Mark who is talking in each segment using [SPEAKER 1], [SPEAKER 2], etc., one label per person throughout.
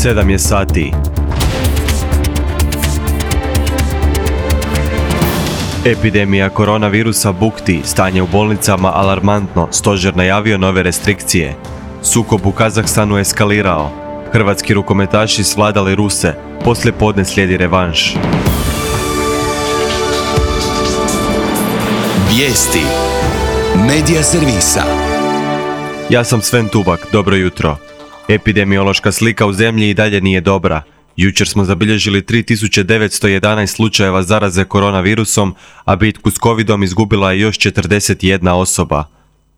[SPEAKER 1] 7 je sati. Epidemija koronavirusa bukti, stanje u bolnicama alarmantno, stožer najavio nove restrikcije. Sukob u Kazahstanu eskalirao. Hrvatski rukometaši svladali Ruse, poslije podne slijedi revanš.
[SPEAKER 2] Vijesti Medija servisa.
[SPEAKER 1] Ja sam Sven Tubak, dobro jutro. Epidemiološka slika u zemlji i dalje nije dobra. Jučer smo zabilježili 3911 slučajeva zaraze koronavirusom, a bitku s covidom izgubila je još 41 osoba.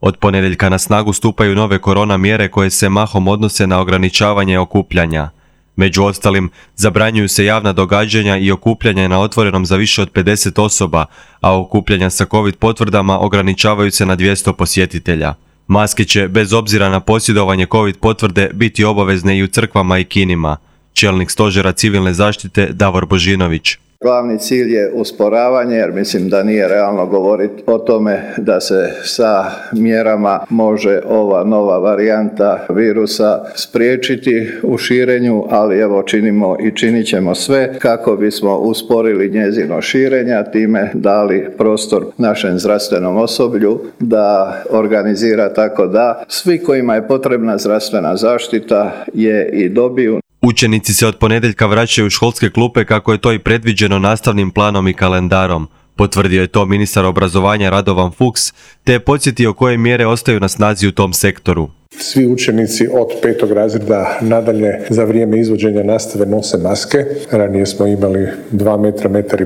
[SPEAKER 1] Od ponedjeljka na snagu stupaju nove korona mjere koje se mahom odnose na ograničavanje okupljanja. Među ostalim, zabranjuju se javna događanja i okupljanja na otvorenom za više od 50 osoba, a okupljanja sa covid potvrdama ograničavaju se na 200 posjetitelja. Maske će, bez obzira na posjedovanje covid potvrde, biti obavezne i u crkvama i kinima. Čelnik stožera civilne zaštite Davor Božinović.
[SPEAKER 3] Glavni cilj je usporavanje, jer mislim da nije realno govoriti o tome da se sa mjerama može ova nova varijanta virusa spriječiti u širenju, ali evo činimo i činit ćemo sve kako bismo usporili njezino širenje, a time dali prostor našem zdravstvenom osoblju da organizira tako da svi kojima je potrebna zdravstvena zaštita je i dobiju.
[SPEAKER 1] Učenici se od ponedjeljka vraćaju u školske klupe kako je to i predviđeno nastavnim planom i kalendarom. Potvrdio je to ministar obrazovanja Radovan Fuchs, te je podsjetio koje mjere ostaju na snazi u tom sektoru.
[SPEAKER 4] Svi učenici od 5. razreda nadalje za vrijeme izvođenja nastave nose maske. Ranije smo imali 2 metra, 1,5 metra.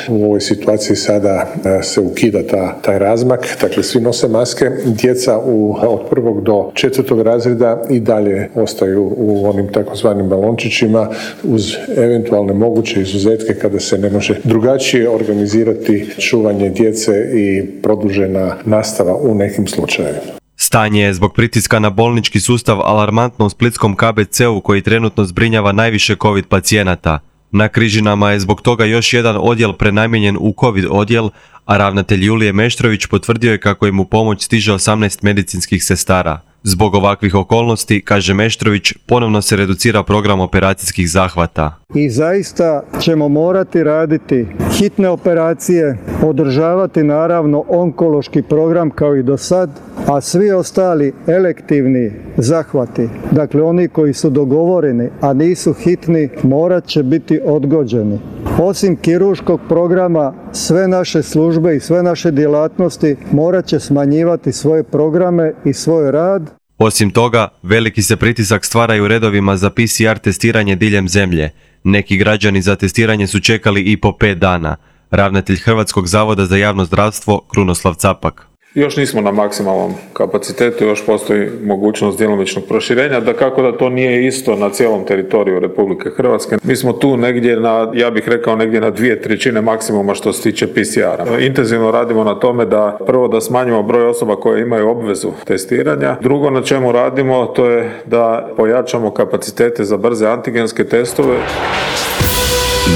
[SPEAKER 4] U ovoj situaciji sada se ukida taj razmak. Dakle, svi nose maske. Djeca od 1. do 4. razreda i dalje ostaju u onim takozvanim balončićima uz eventualne moguće izuzetke kada se ne može drugačije organizirati čuvanje djece i produžena nastava u nekim slučajevima.
[SPEAKER 1] Stanje je zbog pritiska na bolnički sustav alarmantno u splitskom KBC-u koji trenutno zbrinjava najviše covid pacijenata. Na Križinama je zbog toga još jedan odjel prenamijenjen u covid odjel, a ravnatelj Julije Meštrović potvrdio je kako im u pomoć stiže 18 medicinskih sestara. Zbog ovakvih okolnosti, kaže Meštrović, ponovno se reducira program operacijskih zahvata.
[SPEAKER 5] I zaista ćemo morati raditi hitne operacije, održavati naravno onkološki program kao i do sad, a svi ostali elektivni zahvati, dakle oni koji su dogovoreni, a nisu hitni, morat će biti odgođeni. Osim kirurškog programa, sve naše službe i sve naše djelatnosti morat će smanjivati svoje programe i svoj rad.
[SPEAKER 1] Osim toga, veliki se pritisak stvara i u redovima za PCR testiranje diljem zemlje. Neki građani za testiranje su čekali i po 5 dana. Ravnatelj Hrvatskog zavoda za javno zdravstvo Krunoslav Capak.
[SPEAKER 6] Još nismo na maksimalnom kapacitetu, još postoji mogućnost djelomičnog proširenja, dakako da to nije isto na cijelom teritoriju Republike Hrvatske. Mi smo tu negdje ja bih rekao negdje na 2/3 maksimuma što se tiče PCR-a. Intenzivno radimo na tome da prvo da smanjimo broj osoba koje imaju obvezu testiranja. Drugo na čemu radimo to je da pojačamo kapacitete za brze antigenske testove.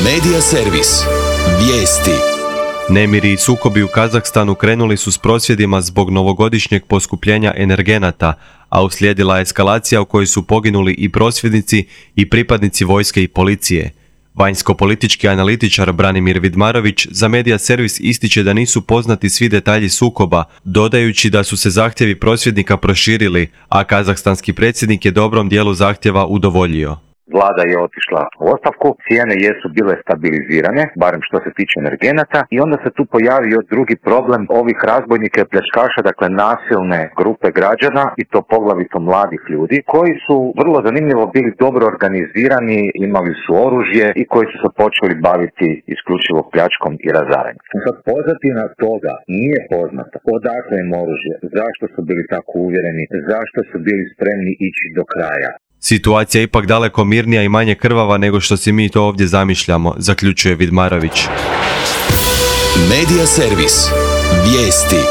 [SPEAKER 2] Medija servis. Vijesti.
[SPEAKER 1] Nemiri i sukobi u Kazahstanu krenuli su s prosvjedima zbog novogodišnjeg poskupljenja energenata, a uslijedila je eskalacija u kojoj su poginuli i prosvjednici i pripadnici vojske i policije. Vanjsko-politički analitičar Branimir Vidmarović za Medija servis ističe da nisu poznati svi detalji sukoba, dodajući da su se zahtjevi prosvjednika proširili, a kazahstanski predsjednik je dobrom dijelu zahtjeva udovoljio.
[SPEAKER 7] Vlada je otišla u ostavku, cijene jesu bile stabilizirane, barem što se tiče energenata, i onda se tu pojavio drugi problem ovih razbojnika i pljačkaša, dakle nasilne grupe građana, i to poglavito mladih ljudi, koji su vrlo zanimljivo bili dobro organizirani, imali su oružje i koji su se počeli baviti isključivo pljačkom i razaranjem. Sad pozadina toga nije poznata, odakle im oružje, zašto su bili tako uvjereni, zašto su bili spremni ići do kraja.
[SPEAKER 1] Situacija je ipak daleko mirnija i manje krvava nego što si mi to ovdje zamišljamo, zaključuje Vidmarović.
[SPEAKER 2] Medija servis. Vijesti.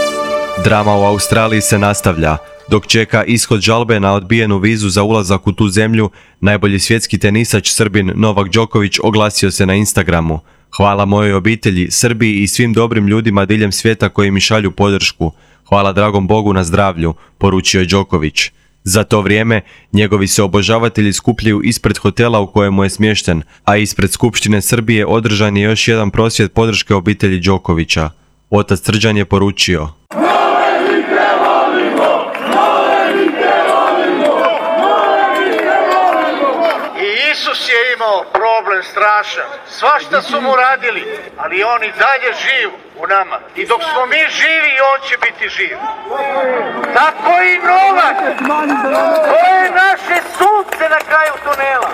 [SPEAKER 1] Drama u Australiji se nastavlja. Dok čeka ishod žalbe na odbijenu vizu za ulazak u tu zemlju, najbolji svjetski tenisač Srbin Novak Đoković oglasio se na Instagramu. Hvala mojoj obitelji, Srbiji i svim dobrim ljudima diljem svijeta koji mi šalju podršku. Hvala dragom Bogu na zdravlju, poručio je Đoković. Za to vrijeme, njegovi se obožavatelji skupljaju ispred hotela u kojemu je smješten, a ispred Skupštine Srbije održan je još jedan prosvjed podrške obitelji Đokovića. Otac Srđan je poručio:
[SPEAKER 8] Isus je imao problem strašan. Svašta su mu radili, ali on i dalje živ u nama. I dok smo mi živi, on će biti živ. Tako i Novak. To je naše sunce na kraju tunela.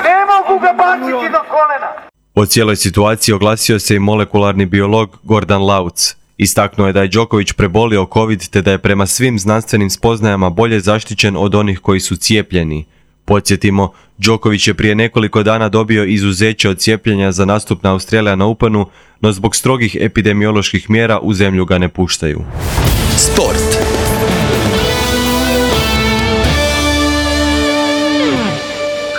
[SPEAKER 8] Ne mogu ga baciti do kolena.
[SPEAKER 1] O cijeloj situaciji oglasio se i molekularni biolog Gordan Lauc. Istaknuo je da je Đoković prebolio COVID te da je prema svim znanstvenim spoznajama bolje zaštićen od onih koji su cijepljeni. Podsjetimo, Đoković je prije nekoliko dana dobio izuzeće od cijepljenja za nastup na Australian Openu, no zbog strogih epidemioloških mjera u zemlju ga ne puštaju.
[SPEAKER 2] Sport.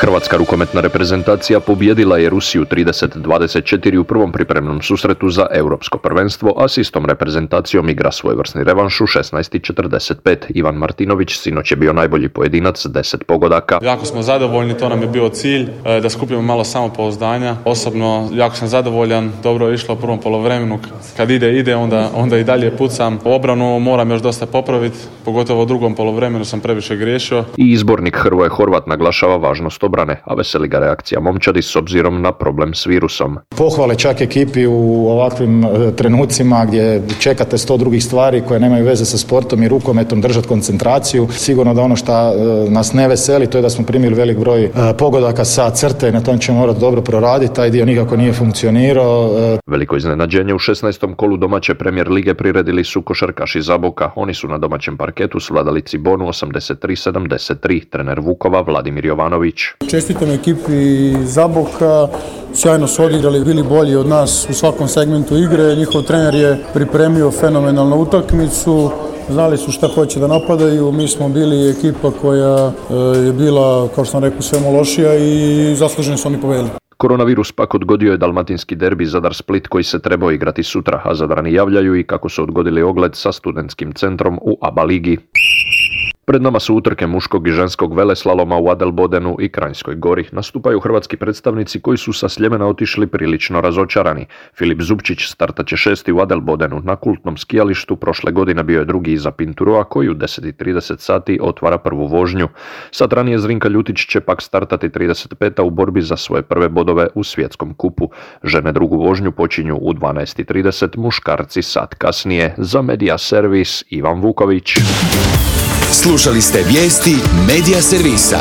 [SPEAKER 9] Hrvatska rukometna reprezentacija pobijedila je Rusiju 30-24 u prvom pripremnom susretu za europsko prvenstvo, a s istom reprezentacijom igra svojevrsni revanš u 16:45. Ivan Martinović sinoć je bio najbolji pojedinac, 10 pogodaka.
[SPEAKER 10] Jako smo zadovoljni, to nam je bio cilj, da skupimo malo samopouzdanja. Osobno jako sam zadovoljan, dobro je išlo u prvom poluvremenu, kad ide, onda i dalje pucam. Obranu moram još dosta popraviti, pogotovo u drugom poluvremenu sam previše griješio.
[SPEAKER 9] I izbornik Hrvoje Horvat naglašava važnost obrane, a veseli ga reakcija momčadi s obzirom na problem s virusom.
[SPEAKER 11] Pohvale čak ekipi u ovakvim trenucima gdje čekate 100 drugih stvari koje nemaju veze sa sportom i rukometom, držati koncentraciju. Sigurno da ono što nas ne veseli, to je da smo primili velik broj pogodaka sa crte i na tom ćemo morati dobro proraditi, taj dio nikako nije funkcionirao.
[SPEAKER 9] Veliko iznenađenje u 16. kolu domaće Premier lige priredili su košarkaši Zaboka. Oni su na domaćem parketu svladali Cibonu 83-73, trener Vukova Vladimir Jovanović.
[SPEAKER 12] Čestitam ekipi Zaboka, sjajno su odigrali, bili bolji od nas u svakom segmentu igre, njihov trener je pripremio fenomenalnu utakmicu, znali su šta hoće da napadaju, mi smo bili ekipa koja je bila, kao što sam rekao, svemu lošija i zasluženo su oni pobedili.
[SPEAKER 9] Koronavirus pak odgodio je dalmatinski derbi Zadar-Split koji se trebao igrati sutra, a Zadrani javljaju i kako su odgodili ogled sa studentskim centrom u ABA ligi. Pred nama su utrke muškog i ženskog veleslaloma u Adelbodenu i Kranjskoj Gori. Nastupaju hrvatski predstavnici koji su sa Sljemena otišli prilično razočarani. Filip Zupčić startat će 6. u Adelbodenu. Na kultnom skijalištu prošle godine bio je drugi iza Pinturoa koji u 10:30 sati otvara prvu vožnju. Sat ranije Zrinka Ljutić će pak startati 35. u borbi za svoje prve bodove u svjetskom kupu. Žene drugu vožnju počinju u 12:30, muškarci sat kasnije. Za Media Servis Ivan Vuković.
[SPEAKER 2] Slušali ste vijesti Media Servisa.